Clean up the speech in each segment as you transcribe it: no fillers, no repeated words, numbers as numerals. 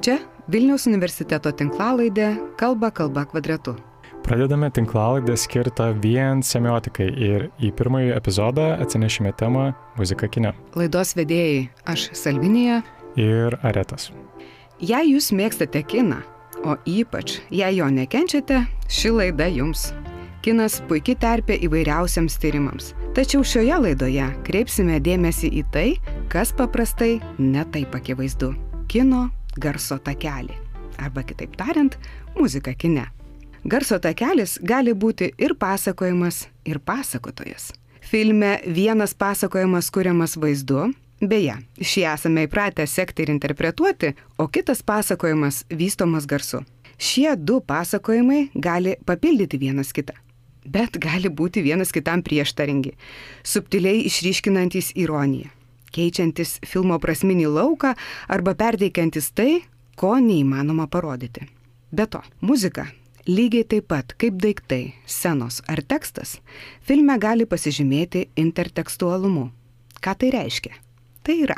Čia Vilniaus universiteto tinklalaidė Kalba kvadratu. Pradedame tinklalaidę skirtą vien semiotikai ir į pirmąjį epizodą atsinešime temą muzika kine. Laidos vedėjai aš Salvinija ir Aretas. Jei jūs mėgstate kiną, o ypač jei jo nekenčiate, ši laida jums. Kinas puikiai terpė įvairiausiams tyrimams. Tačiau šioje laidoje kreipsime dėmesį į tai, kas paprastai netaip akivaizdu. Kino garso takelį. Arba kitaip tariant, muzika kine. Garso takelis gali būti ir pasakojimas, ir pasakotojas. Filme vienas pasakojimas kuriamas vaizdu, beje, šį esame įpratę sekti ir interpretuoti, o kitas pasakojimas vystomas garsu. Šie du pasakojimai gali papildyti vienas kitą, bet gali būti vienas kitam prieštaringi, subtiliai išryškinantys ironiją, keičiantis filmo prasminį lauką arba perteikiantis tai, ko neįmanoma parodyti. Be to, muzika, lygiai taip pat kaip daiktai, scenos ar tekstas, filme gali pasižymėti intertekstualumu. Ką tai reiškia? Tai yra,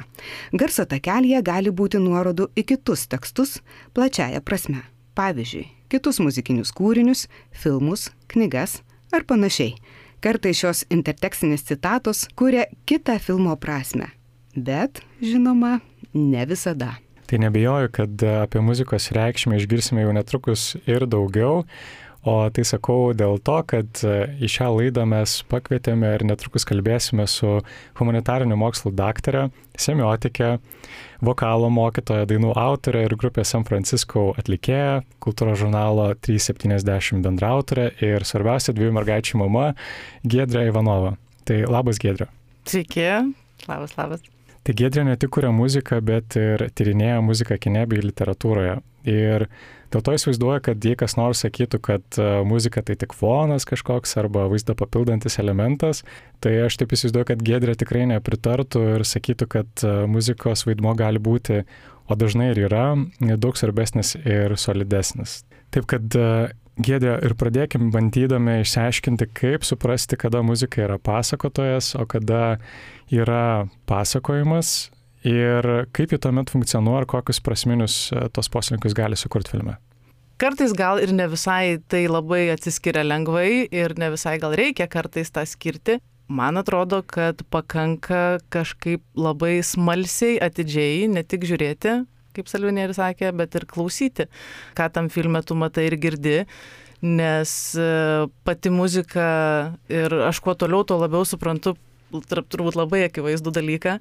garso takelyje gali būti nuorodų į kitus tekstus plačiaja prasme. Pavyzdžiui, kitus muzikinius kūrinius, filmus, knygas ar panašiai. Kartais šios intertekstinės citatos kuria kitą filmo prasmę. Bet, žinoma, ne visada. Tai nebejoju, kad apie muzikos reikšmę išgirsime jau netrukus ir daugiau, o tai sakau dėl to, kad į šią laidą mes pakvietėme ir netrukus kalbėsime su humanitarinių mokslų daktare, semiotikė, vokalo mokytoja, dainų autorė ir grupės San Francisco atlikėja, kultūros žurnalo 370 bendraautorė ir svarbiausia dviejų mergaičių mama Giedrė Ivanova. Tai labas, Giedrė. Sveiki, labas. Tai Giedrė ne tik kuria muziką, bet ir tyrinėja muziką kine bei literatūroje. Ir dėl to įsivaizduoju, kad jei kas nors sakytų, kad muzika tai tik fonas kažkoks arba vaizdą papildantis elementas, tai aš taip įsivaizduoju, kad Giedrė tikrai nepritartų ir sakytų, kad muzikos vaidmuo gali būti, o dažnai ir yra, daug svarbesnis ir solidesnis. Taip kad Giedrė, ir pradėkim bandydami išsiaiškinti, kaip suprasti, kada muzika yra pasakotojas, o kada yra pasakojimas ir kaip jį tuomet funkcionuoja ir kokius prasminius tos poslinkius gali sukurti filme. Kartais gal ir ne visai tai labai atsiskiria lengvai ir ne visai gal reikia kartais tą skirti. Man atrodo, kad pakanka kažkaip labai smalsiai, atidžiai, ne tik žiūrėti, kaip Salvinė ir sakė, bet ir klausyti, ką tam filme tu matai ir girdi, nes pati muzika ir aš kuo toliau, tuo labiau suprantu, turbūt labai akivaizdų dalyką,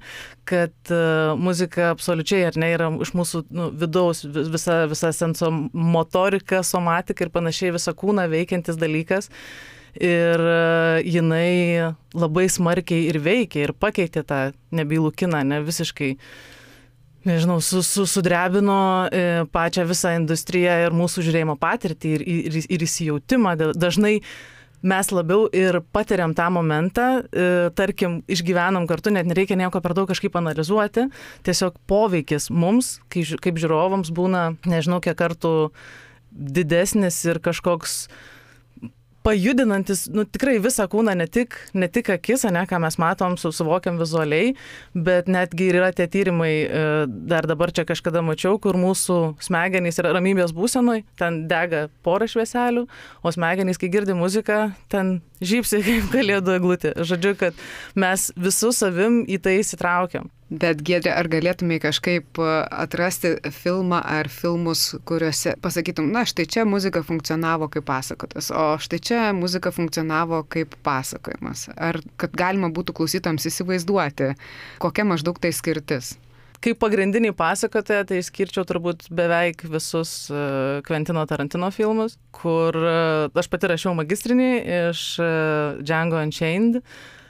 kad muzika absoliučiai ar ne yra iš mūsų vidaus visa senso motorika, somatika ir panašiai visą kūną veikiantis dalykas. Ir jinai labai smarkiai ir veikia ir pakeitė tą nebylų kiną, ne visiškai, nežinau, sudrebino pačią visą industriją ir mūsų žiūrėjimo patirtį ir įsijautimą. Dažnai mes labiau ir patiriam tą momentą, tarkim, išgyvenam kartu, net nereikia nieko per daug kažkaip analizuoti, tiesiog poveikis mums, kaip žiūrovams, būna, nežinau, kiek kartų didesnis ir kažkoks pajudinantis, tikrai visą kūną, ne tik akis, ką mes matom, suvokiam vizualiai, bet netgi yra tie tyrimai, dar dabar čia kažkada mačiau, kur mūsų smegenys yra ramybės būsenoj, ten dega porą švieselių, o smegenys, kai girdi muziką, ten žybsi kaip kalėdų eglutė. Žodžiu, kad mes visų savim į tai įsitraukiam. Bet Giedrė, ar galėtumai kažkaip atrasti filmą ar filmus, kuriuose pasakytum, štai čia muzika funkcionavo kaip pasakotas, o štai čia muzika funkcionavo kaip pasakojimas? Ar kad galima būtų klausytojams įsivaizduoti, kokia maždaug tai skirtis? Kaip pagrindiniai pasakotojai, tai skirčiau turbūt beveik visus Kventino Tarantino filmus, kur aš pati rašiau magistrinį iš Django Unchained.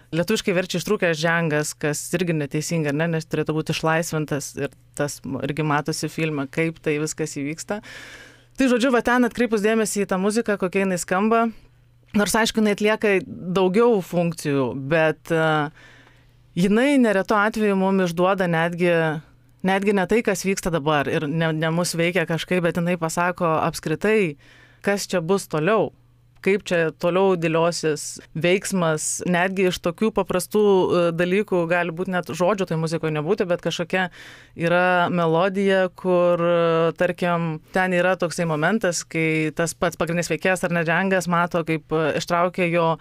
Lietuviškai verčia ištrūkęs Djangas, kas irgi neteisinga, nes turėtų būti išlaisvintas ir tas irgi matosi filme, kaip tai viskas įvyksta. Tai žodžiu, va ten atkreipus dėmesį į tą muziką, kokia jinai skamba, nors aišku, jinai atlieka daugiau funkcijų, bet jinai neretu atveju mums išduoda netgi ne tai, kas vyksta dabar ir ne mus veikia kažkaip, bet jinai pasako apskritai, kas čia bus toliau. kaip čia toliau dėliosis veiksmas, netgi iš tokių paprastų dalykų gali būti net žodžių tai muzikoje nebūti, bet kažkokia yra melodija, kur, tarkim, ten yra toksai momentas, kai tas pats pagrindinis veikėjas ar ne Džangas mato, kaip ištraukia jo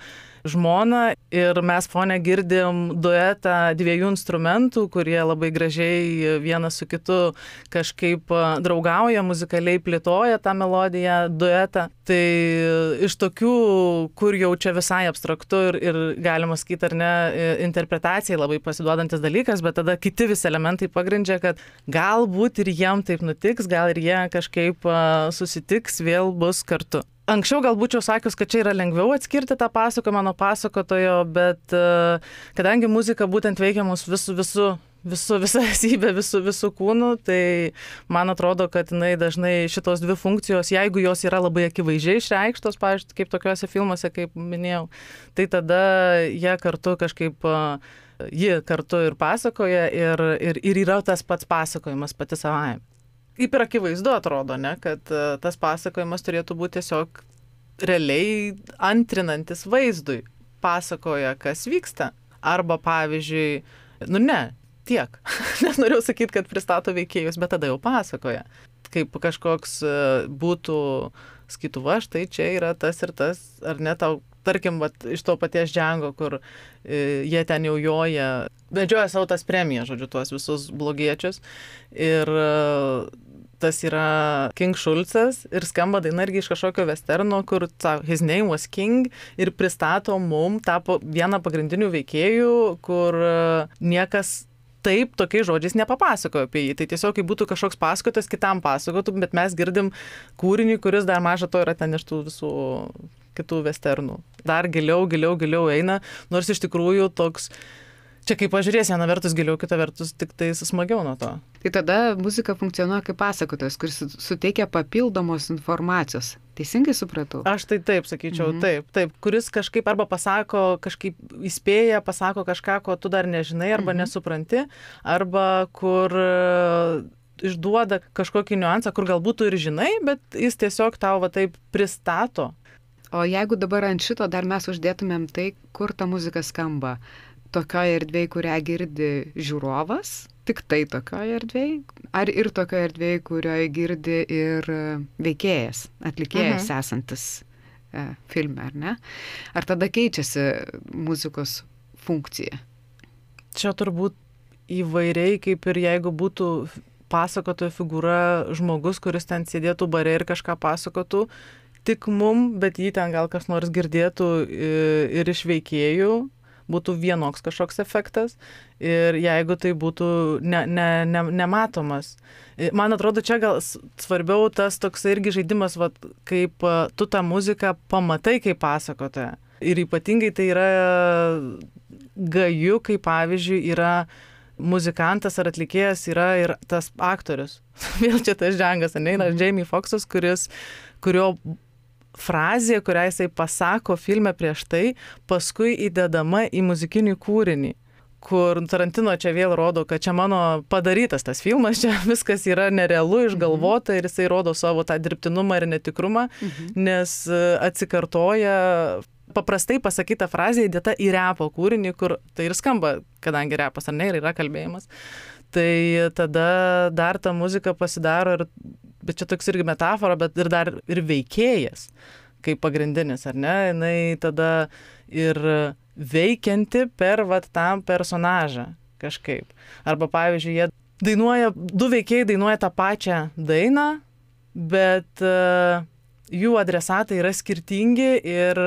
žmoną ir mes fone girdim duetą dviejų instrumentų, kurie labai gražiai vienas su kitu kažkaip draugauja, muzikaliai plėtoja tą melodiją, duetą. Tai iš tokių, kur jau čia visai abstraktu ir galima sakyti, ar ne, interpretacijai labai pasiduodantis dalykas, bet tada kiti visi elementai pagrindžia, kad galbūt ir jiem taip nutiks, gal ir jie kažkaip susitiks, vėl bus kartu. Anksčiau gal būčiau sakius, kad čia yra lengviau atskirti tą pasakojimą nuo pasakotojo, bet kadangi muzika būtent veikia mus visą esybę, visų kūnų, tai man atrodo, kad jinai dažnai šitos dvi funkcijos, jeigu jos yra labai akivaizdžiai išreikštos, pavyzdžiui, kaip tokiuose filmuose, kaip minėjau, tai tada jie kartu kažkaip, ji kartu ir pasakoja ir yra tas pats pasakojimas pati savaime. Kaip ir akivaizdu atrodo, ne, kad tas pasakojimas turėtų būti tiesiog realiai antrinantis vaizdui. Pasakoja, kas vyksta. Arba pavyzdžiui, tiek. Nes norėjau sakyti, kad pristato veikėjus, bet tada jau pasakoja. Kaip kažkoks būtų, sakytų, va, štai čia yra tas ir tas, ar ne, tau, tarkim, vat, iš to paties Django, kur jie ten jau joja, vedžioja savo tas premijas, žodžiu, tuos visus blogiečius. Ir tas yra King Schulzas ir skamba daina irgi iš kažkokio westerno, kur His Name Was King ir pristato mum tapo vieną pagrindinių veikėjų, kur niekas taip tokiais žodžiais nepapasakojo apie jį. Tai tiesiog, kai būtų kažkoks pasakotas, kitam pasakotų, bet mes girdim kūrinį, kuris dar maža to yra ten iš tų visų kitų westernų. Dar giliau eina, nors iš tikrųjų toks, čia kaip pažiūrės, viena vertus giliau, kita vertus tik tai smagiau nuo to. Tai tada muzika funkcionuoja kaip pasakotojas, kuris suteikia papildomos informacijos. Teisingai supratau? Aš tai taip sakyčiau, taip, kuris kažkaip arba pasako, kažkaip įspėja, pasako kažką, ko tu dar nežinai arba nesupranti, arba kur išduoda kažkokį niuansą, kur galbūt tu ir žinai, bet jis tiesiog tau va taip pristato. O jeigu dabar ant šito dar mes uždėtumėm tai, kur ta muzika skamba, tokioje erdvėje, kurią girdi žiūrovas, tik tai tokioje erdvėje, ar ir tokioje erdvėje, kurioje girdi ir veikėjas, atlikėjas esantis filme, ar ne? Ar tada keičiasi muzikos funkcija? Čia turbūt įvairiai, kaip ir jeigu būtų pasakotojo figūra žmogus, kuris ten sėdėtų bare ir kažką pasakotų, tik mum, bet jį ten gal kas nors girdėtų ir iš veikėjų, būtų vienoks kažkoks efektas ir jeigu tai būtų nematomas. Man atrodo, čia gal svarbiau tas toks irgi žaidimas, vat, kaip tu tą muziką pamatai kaip pasakotoja. Ir ypatingai tai yra gaju, kaip pavyzdžiui yra muzikantas ar atlikėjas yra ir tas aktorius. Vėl čia tas Džangas, yra Jamie Foxxas, kurio frazė, kurią jisai pasako filme prieš tai, paskui įdedama į muzikinį kūrinį, kur Tarantino čia vėl rodo, kad čia mano padarytas tas filmas, čia viskas yra nerealu, išgalvota ir jisai rodo savo tą dirbtinumą ir netikrumą, nes atsikartoja paprastai pasakyta frazė įdėta į repo kūrinį, kur tai ir skamba, kadangi repas ar ne, ir yra kalbėjimas. Tai tada dar ta muzika pasidaro ir bet čia toks irgi metafora, bet ir dar ir veikėjas, kaip pagrindinis, ar ne, jinai tada ir veikianti per tam personažą kažkaip. Arba pavyzdžiui, jie dainuoja, du veikėjai dainuoja tą pačią dainą, bet jų adresatai yra skirtingi ir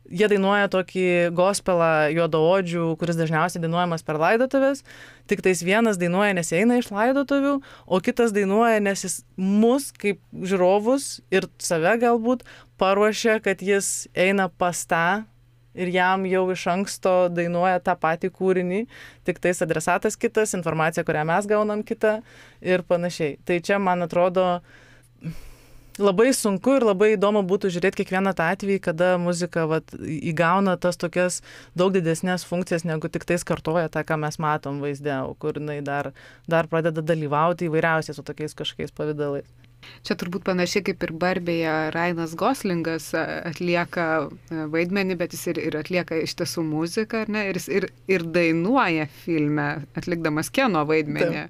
jie dainuoja tokį gospelą juodaodžių, kuris dažniausiai dainuojamas per laidotuvės, tik tais vienas dainuoja, nes eina iš laidotuvių, o kitas dainuoja, nes jis mus kaip žiūrovus ir save galbūt paruošia, kad jis eina pas tą ir jam jau iš anksto dainuoja tą patį kūrinį, tik tais adresatas kitas, informacija, kurią mes gaunam kitą ir panašiai. Tai čia, man atrodo, labai sunku ir labai įdomu būtų žiūrėti kiekvieną tą atvejį, kada muzika įgauna tas tokias daug didesnės funkcijas, negu tik tais kartoja tą, ką mes matom vaizde, kur jinai dar pradeda dalyvauti įvairiausiais su tokiais kažkokiais pavidalais. Čia turbūt panašiai kaip ir Barbėje Ryanas Goslingas atlieka vaidmenį, bet jis ir atlieka iš tiesų muziką, ar ne? Ir jis ir dainuoja filme, atlikdamas Keno vaidmenį.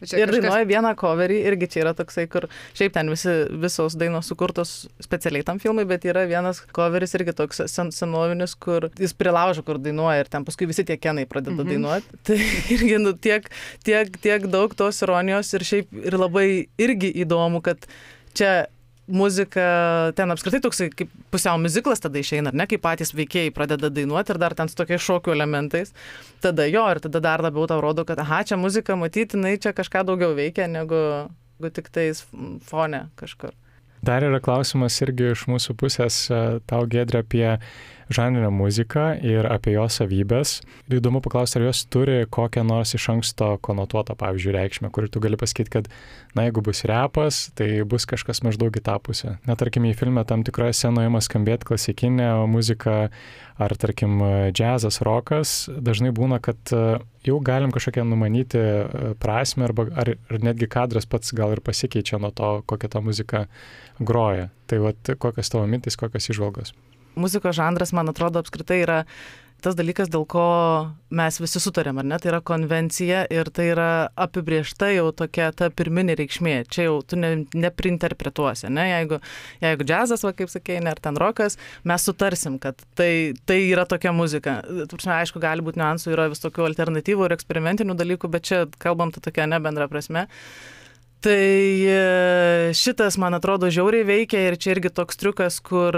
Ir dainuoja vieną coverį, irgi čia yra toksai, kur šiaip ten visos dainos sukurtos specialiai tam filmui, bet yra vienas coveris irgi toks senovinis, kur jis prilaužo, kur dainuoja ir ten paskui visi tie Kenai pradeda dainuoti. Tai irgi tiek daug tos ironijos ir šiaip ir labai irgi įdomu, kad čia muzika, ten apskritai toksai kaip pusiau muziklas tada išeina, ar ne, kai patys veikėjai pradeda dainuoti ir dar ten su tokiais šokių elementais, tada ir tada dar labiau tau rodo, kad čia muzika matyti, jinai čia kažką daugiau veikia, negu tik tais fone kažkur. Dar yra klausimas irgi iš mūsų pusės tau, Giedre, apie žanrinę muziką ir apie jos savybės. Įdomu paklausti, ar jos turi kokią nors iš anksto konotuotą, pavyzdžiui, reikšmę, kur tu gali pasakyti, kad, jeigu bus repas, tai bus kažkas maždaug į tą pusę. Net, tarkim, į filmą tam tikroje scenoje ima skambėti klasikinė muzika, ar, tarkim, džiazas, rokas, dažnai būna, kad jau galim kažkokią numanyti prasmę, ar netgi kadras pats gal ir pasikeičia nuo to, kokią tą muziką groja. Tai kokios tavo mintis, kokios įžvalgos? Muzikos žanras, man atrodo, apskritai yra tas dalykas, dėl ko mes visi sutarėm, ar ne? Tai yra konvencija ir tai yra apibriešta jau tokia ta pirminė reikšmė. Čia jau tu neprinterpretuosi, ne? Jeigu džiazas, kaip sakei, ar ten rokas, mes sutarsim, kad tai yra tokia muzika. Aišku, gali būti niuansų, yra vis tokių alternatyvų ir eksperimentinių dalykų, bet čia kalbam tokia nebendra prasme. Tai šitas, man atrodo, žiauriai veikia ir čia irgi toks triukas, kur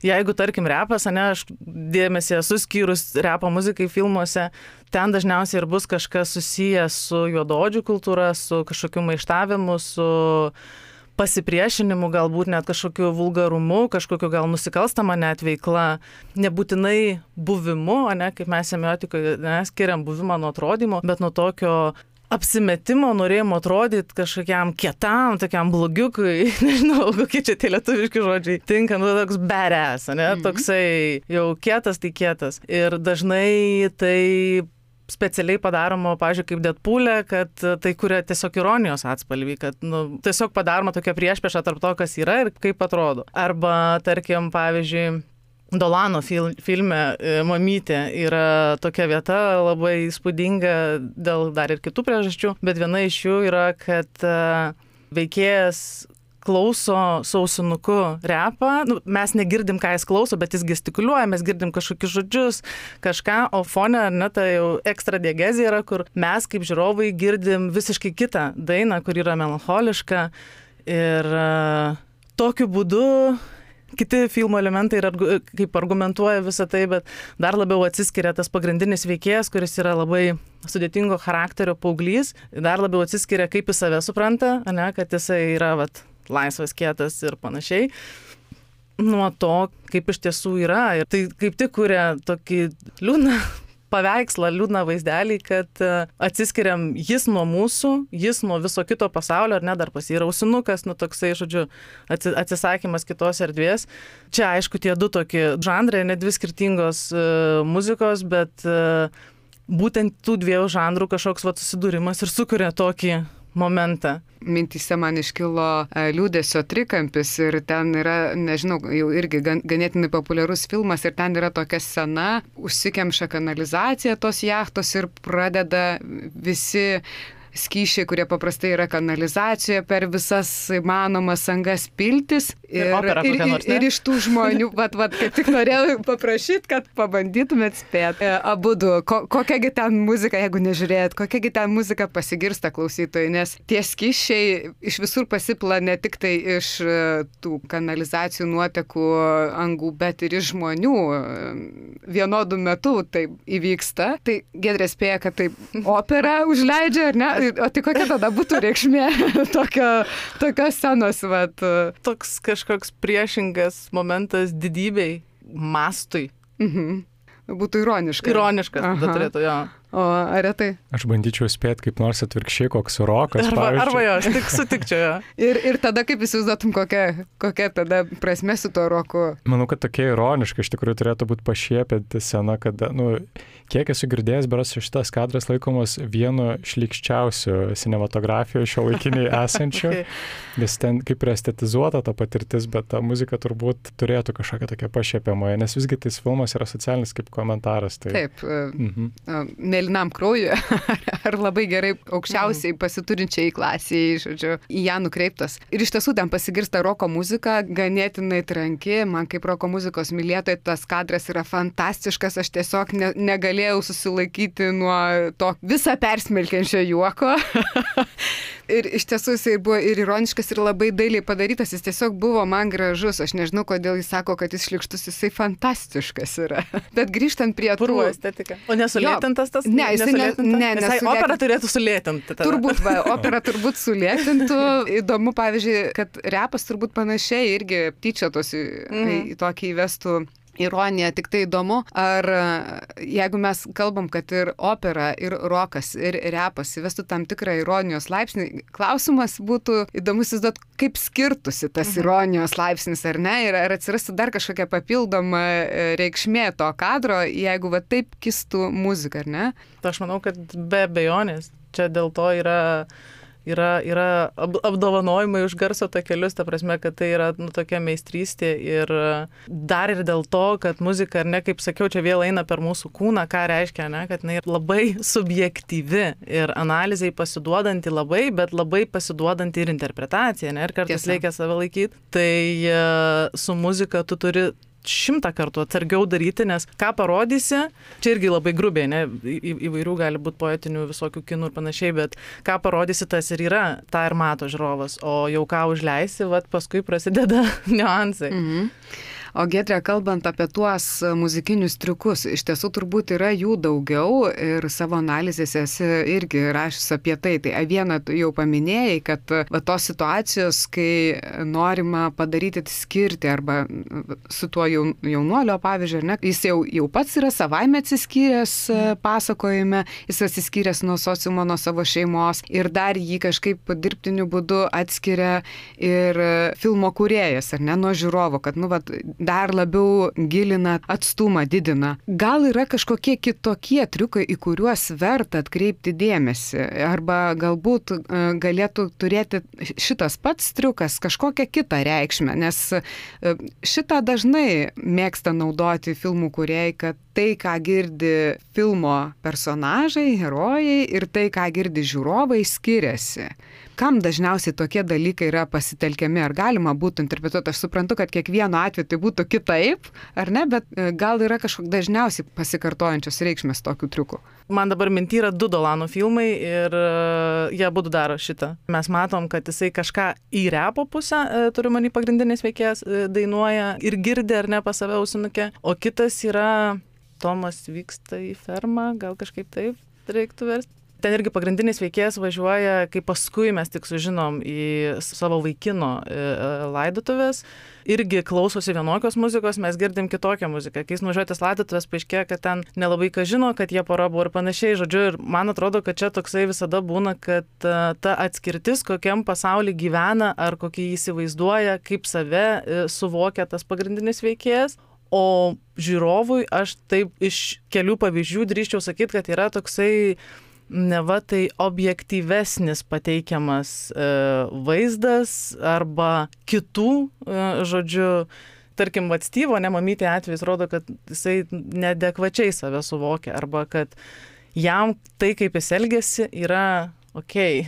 jeigu, tarkim, repas, aš dėmesį esu skyrus repo muzikai filmuose, ten dažniausiai ir bus kažkas susijęs su juodaodžių kultūra, su kažkokiu maištavimu, su pasipriešinimu, galbūt net kažkokiu vulgarumu, kažkokiu gal nusikalstama net veikla, nebūtinai buvimu, kaip mes semiotikoje skiriam buvimą nuo atrodymo, bet nuo tokio apsimetimo, norėjimo atrodyti kažkokiam kietam, tokiam blogiukui, nežinau, kokie čia tie lietuviški žodžiai tinka, toks badass, toksai jau kietas, tai kietas. Ir dažnai tai specialiai padaroma, pavyzdžiui, kaip Deadpool'e, kad tai kuria tiesiog ironijos atspalvį, kad tiesiog padaroma tokia priešprieša tarp to, kas yra ir kaip atrodo. Arba, tarkim, pavyzdžiui, Dolano filme Mamytė yra tokia vieta labai įspūdinga dėl dar ir kitų priežasčių, bet viena iš jų yra, kad veikėjas klauso su ausinuku repą, mes negirdim, ką jis klauso, bet jis gestikuliuoja, mes girdim kažkokius žodžius, kažką, o fone, ta jau ekstra diegezija yra, kur mes kaip žiūrovai girdim visiškai kitą dainą, kur yra melancholiška ir tokiu būdu kiti filmo elementai kaip argumentuoja visą tai, bet dar labiau atsiskiria tas pagrindinis veikėjas, kuris yra labai sudėtingo charakterio paauglys, dar labiau atsiskiria, kaip jis save supranta, kad jisai yra laisvas, kietas ir panašiai, nuo to, kaip iš tiesų yra. Ir tai kaip tik kuria tokį liūdną paveikslą, liūdną vaizdelį, kad atsiskiriam jis nuo mūsų, jis nuo viso kito pasaulio, ar ne, dar pas jį yra ausinukas, toksai, žodžiu, atsisakymas kitos erdvės. Čia, aišku, tie du tokie žanrai, ne dvi skirtingos muzikos, bet būtent tų dviejų žanrų kažkoks susidūrimas ir sukuria tokį momentą. Mintyse man iškilo liūdesio trikampis ir ten yra, nežinau, jau irgi ganėtinai populiarus filmas ir ten yra tokia scena, užsikemša kanalizacija tos jachtos ir pradeda visi skysčiai, kurie paprastai yra kanalizacijoje, per visas įmanomas angas piltis. Ir iš tų žmonių, kaip tik norėjau paprašyti, kad pabandytumėt spėti. Abudu, kokiagi ten muzika, jeigu nežiūrėjot, kokiagi ten muzika pasigirsta klausytojai, nes tie skysčiai iš visur pasipla ne tik tai iš tų kanalizacijų nuotekų angų, bet ir iš žmonių. Vienodų metų tai įvyksta. Tai Giedrė spėja, kad tai opera užleidžia, ar ne? O tai kokia tada būtų reikšmė tokios scenos? Toks kažkoks priešingas momentas didybei, mastui. Būtų ironiškas. Ironiškas tada turėtų, jo. O ar tai? Aš bandyčiau spėti kaip nors atvirkščiai, koks rokas. Arba jo, aš tik sutikčiau jo. Ir tada kaip įsivaizduotum, kokia tada prasme su tuo roku? Manau, kad tokia ironiška iš tikrųjų turėtų būti pašiepinti scena, kad, kiek esu girdėjęs, beras šitas kadras laikomas vienu šlykščiausių cinematografijoje šio laikiniai esančių, nes ten kaip ir estetizuota ta patirtis, bet ta muzika turbūt turėtų kažkokią tokią pašiepiamąją, nes visgi tas filmas yra socialinis kaip komentaras. Tai... Taip, mėlynam kraujui ar labai gerai aukščiausiai pasiturinčiai klasiai, žodžiu, į ją nukreiptas. Ir iš tiesų ten pasigirsta roko muzika, ganėtinai tranki, man kaip roko muzikos mylėtojai tas kadras yra fantastiškas, aš tiesiog negalėjau susilaikyti nuo to visą persmelkiančio juoko. Ir iš tiesų jisai buvo ir ironiškas, ir labai dailiai padarytas, jis tiesiog buvo man gražus, aš nežinau, kodėl jis sako, kad jis šlykštus, jisai fantastiškas yra. Bet grįžtant prie tų... Purvo estetika. O nesulėtintas tas? Ne, jisai opera turėtų sulėtinti. Turbūt, opera turbūt sulėtintų. Įdomu, pavyzdžiui, kad repas turbūt panašiai irgi tyčiotosi į tokį įvestų ironija, tik tai įdomu, ar jeigu mes kalbam, kad ir opera, ir rokas, ir repas įvestų tam tikrą ironijos laipsnį, klausimas būtų įdomus įsivaizduoti, kaip skirtusi tas ironijos laipsnis, ar ne, ir ar atsirastų dar kažkokia papildoma reikšmė to kadro, jeigu va taip kistų muzika, ar ne? Aš manau, kad be abejonės, čia dėl to yra apdovanojimai už garso takelius, ta prasme, kad tai yra tokia meistrystė ir dar ir dėl to, kad muzika, ar ne, kaip sakiau, čia vėl eina per mūsų kūną, ką reiškia, ne, kad jinai labai subjektyvi ir analizai pasiduodanti labai, bet labai pasiduodanti ir interpretacija, ne, ir kartais reikia save laikyti. Tai su muzika tu turi 100 kartų atsargiau daryti, nes ką parodysi, čia irgi labai grubiai, ne, įvairių gali būti poetinių visokių kinų ir panašiai, bet ką parodysi, tas ir yra, tą ir mato žiūrovas, o jau ką užleisi, vat paskui prasideda niuansai. O Giedre, kalbant apie tuos muzikinius triukus, iš tiesų turbūt yra jų daugiau ir savo analizėse esi irgi rašęs apie tai. Tai vieną jau paminėjai, kad tos situacijos, kai norima padaryti skirti arba su tuo jaunuolio pavyzdžiu, ne, jis jau pats yra savaime atsiskyręs pasakojime, jis atsiskyręs nuo sociumo, nuo savo šeimos ir dar jį kažkaip dirbtiniu būdu atskiria ir filmo kūrėjas, ar ne, nuo žiūrovo, kad, dar labiau gilina atstumą, didina. Gal yra kažkokie kitokie triukai, į kuriuos verta atkreipti dėmesį? Arba galbūt galėtų turėti šitas pats triukas kažkokią kitą reikšmę? Nes šitą dažnai mėgsta naudoti filmų kūrėjai, kad tai, ką girdi filmo personažai, herojai ir tai, ką girdi žiūrovai, skiriasi. Kam dažniausiai tokie dalykai yra pasitelkiami, ar galima būtų interpretuoti? Aš suprantu, kad kiekvieno atveju tai būtų kitaip, ar ne, bet gal yra kažkokie dažniausiai pasikartojančios reikšmės tokių triukų. Man dabar minty yra 2 Dolanų filmai ir jie abudu daro šitą. Mes matom, kad jisai kažką į repo pusę, turiu manį pagrindinės veikėjas, dainuoja ir girdi ar ne pas save ausinuke, o kitas yra Tomas vyksta į fermą, gal kažkaip taip reiktų versti. Ten irgi pagrindinis veikėjas važiuoja, kai paskui mes tik sužinom į savo vaikino laidotuvės, irgi klausosi vienokios muzikos, mes girdim kitokią muziką. Kai jis nuvažiuoja tas laidotuvės, paaiškėja, kad ten nelabai ką žino, kad jie pora buvo ir panašiai, žodžiu, ir man atrodo, kad čia toksai visada būna, kad ta atskirtis, kokiam pasaulyje gyvena, ar kokį jį įsivaizduoja, kaip save suvokia tas pagrindinis veikėjas. O žiūrovui aš taip iš kelių pavyzdžių drįsčiau sakyti, kad yra toksai neva tai objektyvesnis pateikiamas vaizdas arba kitų, žodžiu, tarkim, Styvo, ne mamytė atvejs rodo, kad jisai neadekvačiai save suvokia arba kad jam tai, kaip jis elgiasi, yra okei.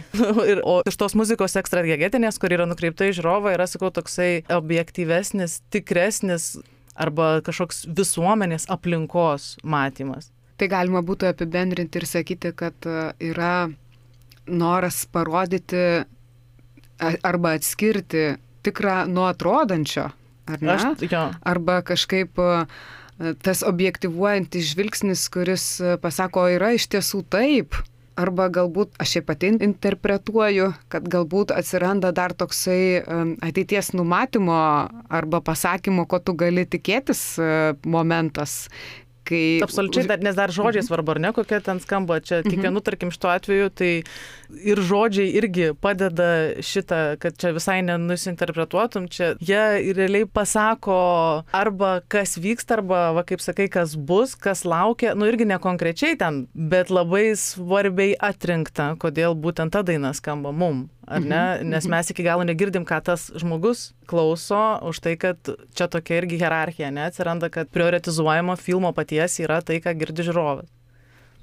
O iš tos muzikos ekstragetinės, kur yra nukreipta į žiūrovą, yra, sakau, toksai objektyvesnis, tikresnis arba kažkoks visuomenės aplinkos matymas. Tai galima būtų apibendrinti ir sakyti, kad yra noras parodyti arba atskirti tikrą nuo atrodančio, ar ne? Arba kažkaip tas objektyvuojantis žvilgsnis, kuris pasako, yra iš tiesų taip. Arba galbūt, aš šiaip pati interpretuoju, kad galbūt atsiranda dar toksai ateities numatymo arba pasakymo, ko tu gali tikėtis momentas, Absoliučiai, nes dar žodžiai svarbu, ar ne, kokia ten skamba. Čia kiekvienu, tarkim, šituo atveju, tai ir žodžiai irgi padeda šitą, kad čia visai nenusinterpretuotum. Čia jie realiai pasako arba kas vyksta, arba, va, kaip sakai, kas bus, kas laukia. Nu, irgi ne konkrečiai ten, bet labai svarbiai atrinkta, kodėl būtent ta daina skamba mum. Ar ne? Nes mes iki galo negirdim, ką tas žmogus klauso, už tai, kad čia tokia irgi hierarchija, ne? Atsiranda, kad prioritizuojama filmo paties yra tai, ką girdi žiūrovas.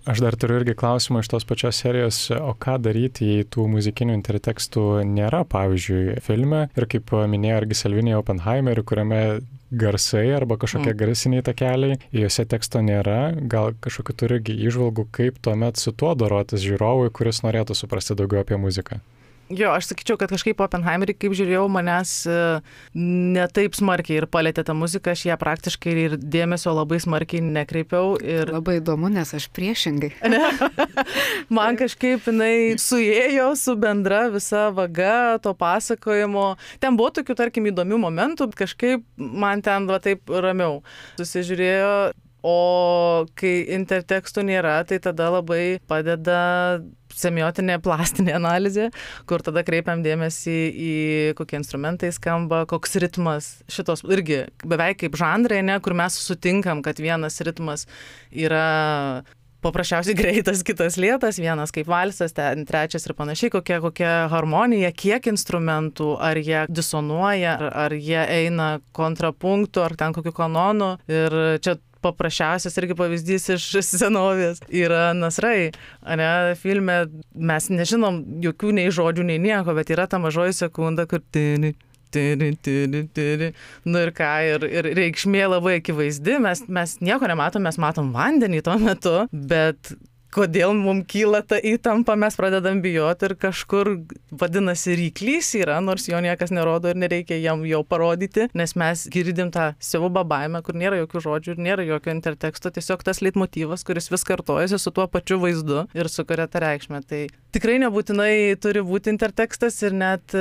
Aš dar turiu irgi klausimą iš tos pačios serijos, o ką daryti, jei tų muzikinių intertekstų nėra, pavyzdžiui, filme, ir kaip minėjo irgi Salvinija Oppenheimeri, kuriame garsai arba kažkokie garsiniai takeliai, juose teksto nėra, gal kažkokiu turi įžvalgų, kaip tuomet su tuo dorotis žiūrovui, kuris norėtų suprasti daugiau apie muziką. Jo, aš sakyčiau, kad kažkaip Oppenheimerį, kaip žiūrėjau, manęs ne taip smarkiai ir palėtė tą muziką, aš ją praktiškai ir dėmesio labai smarkiai nekreipiau. Ir... Labai įdomu, nes aš priešingai. Man kažkaip jinai suėjo su bendra visa vaga to pasakojimo. Ten buvo tokių, tarkim, įdomių momentų, kažkaip man ten va taip ramiau susižiūrėjo. O kai intertekstų nėra, tai tada labai padeda semiotinė plastinė analizė, kur tada kreipiam dėmesį į kokie instrumentai skamba, koks ritmas, šitos irgi beveik kaip žanrai, ne, kur mes sutinkam, kad vienas ritmas yra paprasčiausiai greitas, kitas lėtas, vienas kaip valsas, ten trečias ir panašiai, kokia harmonija, kiek instrumentų, ar jie disonuoja, ar jie eina kontrapunktu, ar ten kokiu kanonu. Ir čia paprasčiausias irgi pavyzdys iš senovės yra nasrai. Ne, filme mes nežinom jokių nei žodžių, nei nieko, bet yra ta mažoji sekunda, kur tini. Nu ir ką, ir reikšmė labai akivaizdi, mes nieko nematom, mes matom vandenį tuo metu, bet kodėl mums kyla ta įtampa, mes pradedam bijoti ir kažkur, vadinasi, ryklys yra, nors jo niekas nerodo ir nereikia jam jau parodyti, nes mes girdim tą siaubą baimę, kur nėra jokių žodžių ir nėra jokio interteksto, tiesiog tas leitmotyvas, kuris vis kartojasi su tuo pačiu vaizdu ir sukuria tą reikšmę. Tai tikrai nebūtinai turi būti intertekstas ir net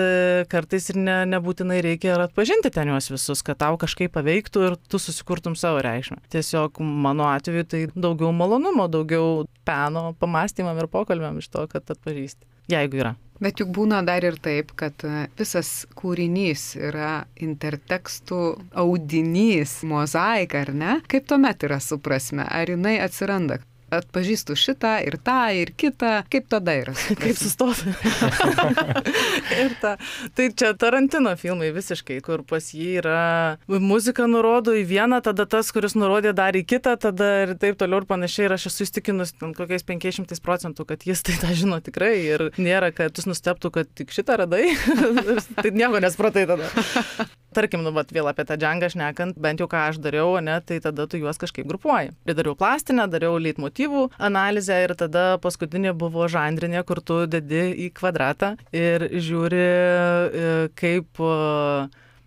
kartais ir nebūtinai reikia ir atpažinti ten juos visus, kad tau kažkaip paveiktų ir tu susikurtum savo reikšmę. Tiesiog mano atveju tai daugiau malonumo, daugiau peno pamastymam ir pokalbiam iš to, kad atpažįsti, jeigu yra. Bet juk būna dar ir taip, kad visas kūrinys yra intertekstų audinys, mozaika, ar ne? Kaip tuomet yra su prasme? Ar jinai atsiranda? Atpažįstu šitą ir tą ir kitą, kaip tada yra? Kaip sustoti. Ir ta. Tai čia Tarantino filmai visiškai, kur pas jį yra muzika nurodo į vieną, tada tas, kuris nurodė dar į kitą, tada ir taip toliau ir panašiai. Ir aš esu įstikinus kokiais 500%, kad jis tai tą žino tikrai ir nėra, kad jis nustebtų, kad tik šitą radai. Tai nieko nespratai tada. Tarkim, nu, vėl apie tą džangą šnekant, bent jau ką aš dariau, ne, tai tada tu juos kažkaip grupuoji. Ir dariau plastinę, dariau leitmotyvų analizę ir tada paskutinė buvo žanrinė, kur tu dedi į kvadratą ir žiūri, kaip...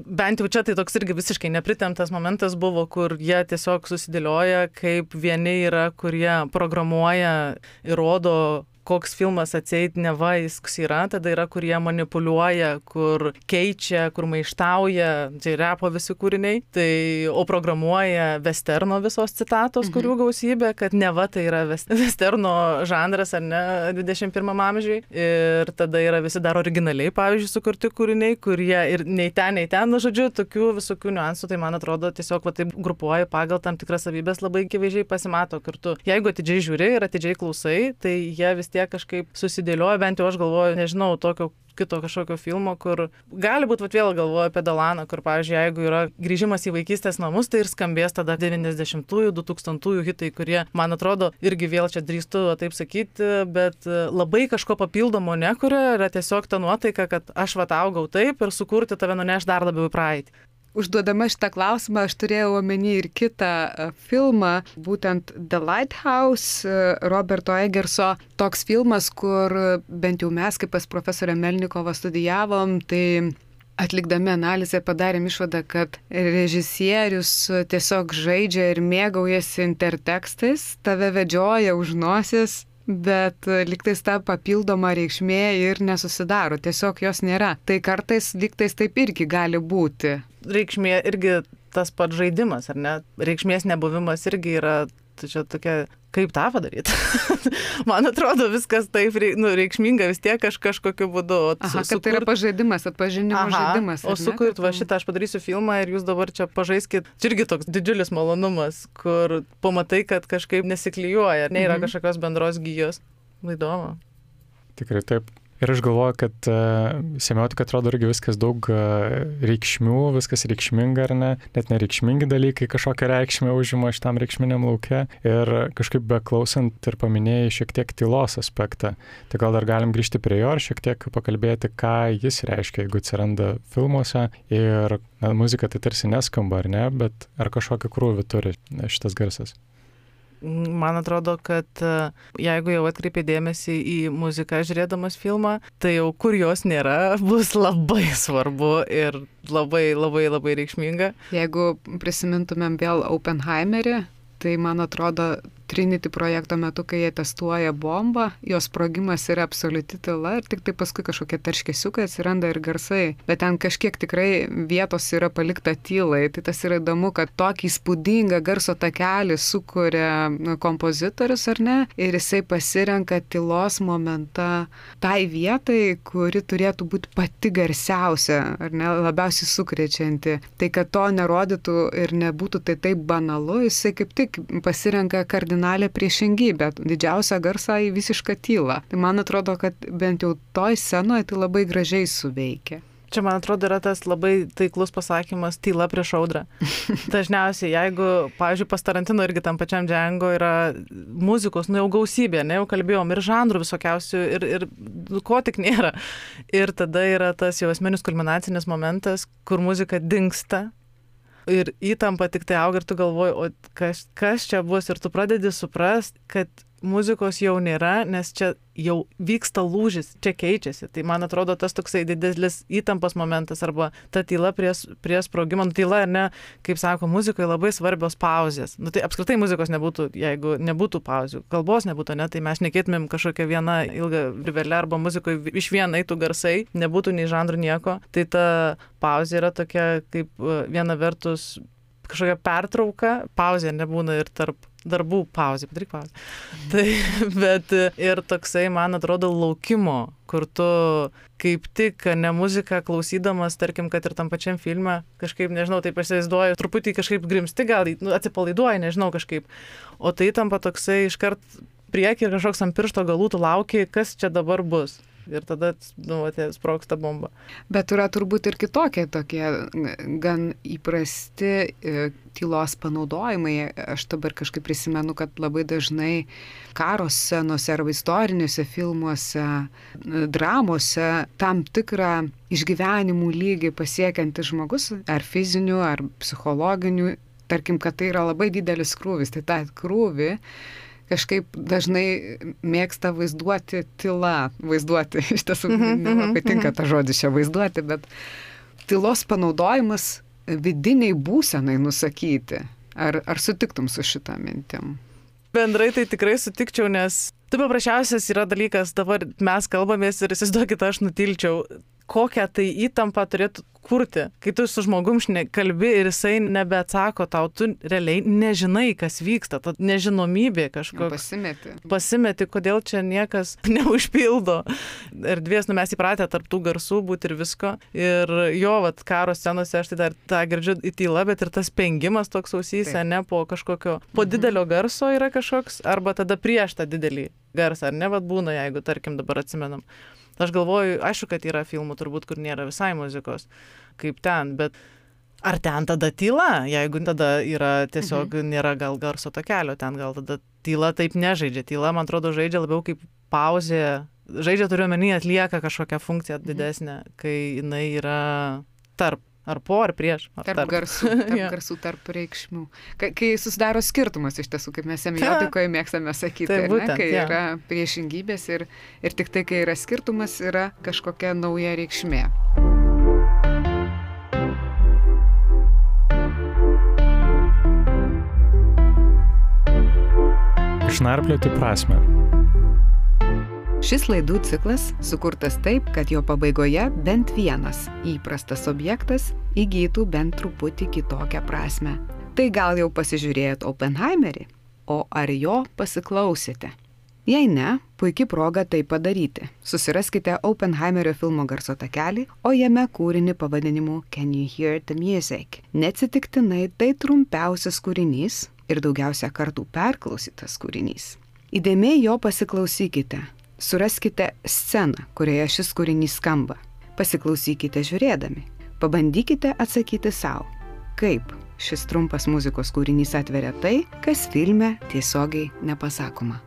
Bent jau čia tai toks irgi visiškai nepritemptas momentas buvo, kur jie tiesiog susidėlioja, kaip vieni yra, kurie programuoja ir rodo, koks filmas atseit neva jis yra, tada yra, kurie manipuliuoja, kur keičia, kur maištauja, tai repo visi kūriniai, tai, o programuoja westerno visos citatos, kurių gausybė, kad neva tai yra westerno žanras, ar ne, 21 amžiui, ir tada yra visi dar originaliai, pavyzdžiui, sukurti kūriniai, kurie ir nei ten, nu, žodžiu, tokių visokių niuansų, tai man atrodo, tiesiog va taip grupuoji pagal tam tikras savybės, labai akivaizdžiai pasimato kartu. Jeigu atidžiai žiūri ir atidžiai klausai, tai jie vis tiek kažkaip susidėlioja, bent jau aš galvoju, nežinau, tokio kito kažkokio filmo, kur gali būti, vėl galvoju apie Dalaną, kur, pavyzdžiui, jeigu yra grįžimas į vaikystės namus, tai ir skambės tada 90-ųjų, 2000-ųjų hitai, kurie, man atrodo, irgi vėl čia drįstu taip sakyti, bet labai kažko papildomo nekuria, yra tiesiog ta nuotaika, kad aš vat augau taip ir sukurti tave nuneš dar labiau į praeitį. Užduodama šitą klausimą, aš turėjau omeny ir kitą filmą, būtent The Lighthouse, Roberto Egerso. Toks filmas, kur bent jau mes, kaip pas profesorę Melnikovą studijavom, tai atlikdami analizę padarėm išvadą, kad režisierius tiesiog žaidžia ir mėgaujasi intertekstais, tave vedžioja už nosies, bet lygtais ta papildoma reikšmė ir nesusidaro, tiesiog jos nėra. Tai kartais lygtais taip irgi gali būti. Reikšmė irgi tas pats žaidimas, ar ne? Reikšmės nebuvimas irgi yra tai čia tokia, kaip tą padaryti. Man atrodo, viskas taip reikšminga vis tiek kažkokiu būdu. Kad tai yra pažaidimas, atpažinimo žaidimas. O sukurt, va šitą aš padarysiu filmą ir jūs dabar čia pažaiskit. Čia irgi toks didžiulis malonumas, kur pamatai, kad kažkaip nesiklijuoja, ar ne, yra kažkokios bendros gijos. Įdomu. Tikrai taip. Ir aš galvoju, kad semiotika atrodo irgi viskas daug reikšmių, viskas reikšminga ar ne, net nereikšmingi dalykai kažkokią reikšmę užima šitam reikšminiam lauke. Ir kažkaip beklausant ir paminėjai šiek tiek tylos aspektą. Tai gal dar galim grįžti prie jo ir šiek tiek pakalbėti, ką jis reiškia, jeigu atsiranda filmuose. Ir muzika tai tarsi neskamba, ar ne, bet ar kažkokį krūvį turi šitas garsas. Man atrodo, kad jeigu jau atkreipi dėmesį į muziką žiūrėdamas filmą, tai jau kur jos nėra, bus labai svarbu ir labai, labai, labai reikšminga. Jeigu prisimintumėm vėl Oppenheimerį, tai man atrodo Trinity projekto metu, kai jie testuoja bombą, jos sprogimas yra absoliuti tyla ir tik tai paskui kažkokie tarškesiukai atsiranda ir garsai. Bet ten kažkiek tikrai vietos yra palikta tylai. Tai tas yra įdomu, kad tokį įspūdingą garso takelį sukuria kompozitorius, ar ne? Ir jisai pasirenka tylos momentą tai vietai, kuri turėtų būti pati garsiausia, ar ne, labiausiai sukrečianti. Tai kad to nerodytų ir nebūtų tai taip banalu, jisai kaip tik pasirenka kardinalią priešingybę, didžiausią garsą į visišką tylą. Tai man atrodo, kad bent jau toj scenoje tai labai gražiai suveikia. Čia, man atrodo, yra tas labai taiklus pasakymas tyla prieš audrą. Dažniausiai, jeigu, pavyzdžiui, pas Tarantino irgi tam pačiam Django yra muzikos, jau gausybė, ne, jau kalbėjom, ir žanrų visokiausių, ir ko tik nėra. Ir tada yra tas jau esminis kulminacinis momentas, kur muzika dingsta. Ir įtampa tik tai auga ir tu galvoji, o kas čia bus ir tu pradedi suprast, kad muzikos jau nėra, nes čia jau vyksta lūžis, čia keičiasi. Tai man atrodo tas toksai didelis įtampos momentas arba ta tyla prie sprogimo. Tyla, ar ne, kaip sako, muzikoje labai svarbios pauzės. Tai apskritai muzikos nebūtų, jeigu nebūtų pauzių. Kalbos nebūtų, ne, tai mes šnekėtumėm kažkokią vieną ilgą rivelę arba muzikoje iš viena eitų garsai, nebūtų nei žanrų nieko. Tai ta pauzė yra tokia kaip viena vertus kažkokia pertrauka, pauzė nebūna ir tarp darbų pauzė, padaryk pauzę. Tai, bet ir toksai, man atrodo, laukimo, kur tu kaip tik ne muziką klausydamas, tarkim, kad ir tam pačiam filme, kažkaip, nežinau, taip įsivaizduoju, truputį kažkaip grimsti, gal atsipalaiduoji, nežinau, kažkaip. O tai tampa toksai iškart priekį ir kažkoks ant piršto galų tu lauki, kas čia dabar bus. Ir tada, sprogsta bomba. Bet yra turbūt ir kitokie tokie gan įprasti tylos panaudojimai. Aš dabar kažkaip prisimenu, kad labai dažnai karo scenose arba istoriniuose filmuose, dramose tam tikrą išgyvenimų lygį pasiekiantis žmogus, ar fizinių, ar psichologinių, tarkim, kad tai yra labai didelis krūvis. Tai tą krūvį kažkaip dažnai mėgsta vaizduoti tyla. Vaizduoti, iš tiesų, nelabai tinka ta žodis čia vaizduoti, bet tylos panaudojimas vidiniai būsenai nusakyti. Ar sutiktum su šitą mintim? Bendrai tai tikrai sutikčiau, nes tai paprasčiausias yra dalykas, dabar mes kalbamės ir įsivaizduokit, aš nutilčiau, kokią tai įtampą turėtų kurti, kai tu su žmogum kalbi ir jisai nebeatsako tau, tu realiai nežinai, kas vyksta, ta nežinomybė kažkoks. Pasimeti, kodėl čia niekas neužpildo. Erdvės, mes įpratę tarp tų garsų būti ir visko. Ir jo, karo scenose aš tai dar tą girdžiu į tylą, bet ir tas pengimas toks ausyse, ne po kažkokio, po didelio garso yra kažkoks, arba tada prieš tą didelį garsą, ar ne, būna, jeigu, tarkim, dabar atsimenam. Aš galvoju, aišku, kad yra filmų turbūt, kur nėra visai muzikos, kaip ten, bet ar ten tada tyla, jeigu tada yra tiesiog nėra gal garso takelio, ten gal tada tyla taip nežaidžia. Tyla, man atrodo, žaidžia labiau kaip pauzė, žaidžia turiuomenį, atlieka kažkokią funkciją didesnę, kai jinai yra tarp. Ar po, ar prieš. Tarp garsų, tarp reikšmių. Kai susidaro skirtumas iš tiesų, kaip mes semiotikoje mėgstame sakyti, tai būtent, kai yra priešingybės ir tik tai, kai yra skirtumas, yra kažkokia nauja reikšmė. Išnarplioti prasmę. Šis laidų ciklas sukurtas taip, kad jo pabaigoje bent vienas įprastas objektas įgytų bent truputį kitokią prasmę. Tai gal jau pasižiūrėjot Oppenheimerį? o ar jo pasiklausėte? Jei ne, puikia proga tai padaryti. Susiraskite Oppenheimerio filmo garso takelį, o jame kūrinį pavadinimu Can You Hear the Music? Neatsitiktinai tai trumpiausias kūrinys ir daugiausia kartų perklausytas kūrinys. Įdėmiai jo pasiklausykite. Suraskite sceną, kurioje šis kūrinys skamba. Pasiklausykite žiūrėdami. Pabandykite atsakyti savo, kaip šis trumpas muzikos kūrinys atveria tai, kas filme tiesiogiai nepasakoma.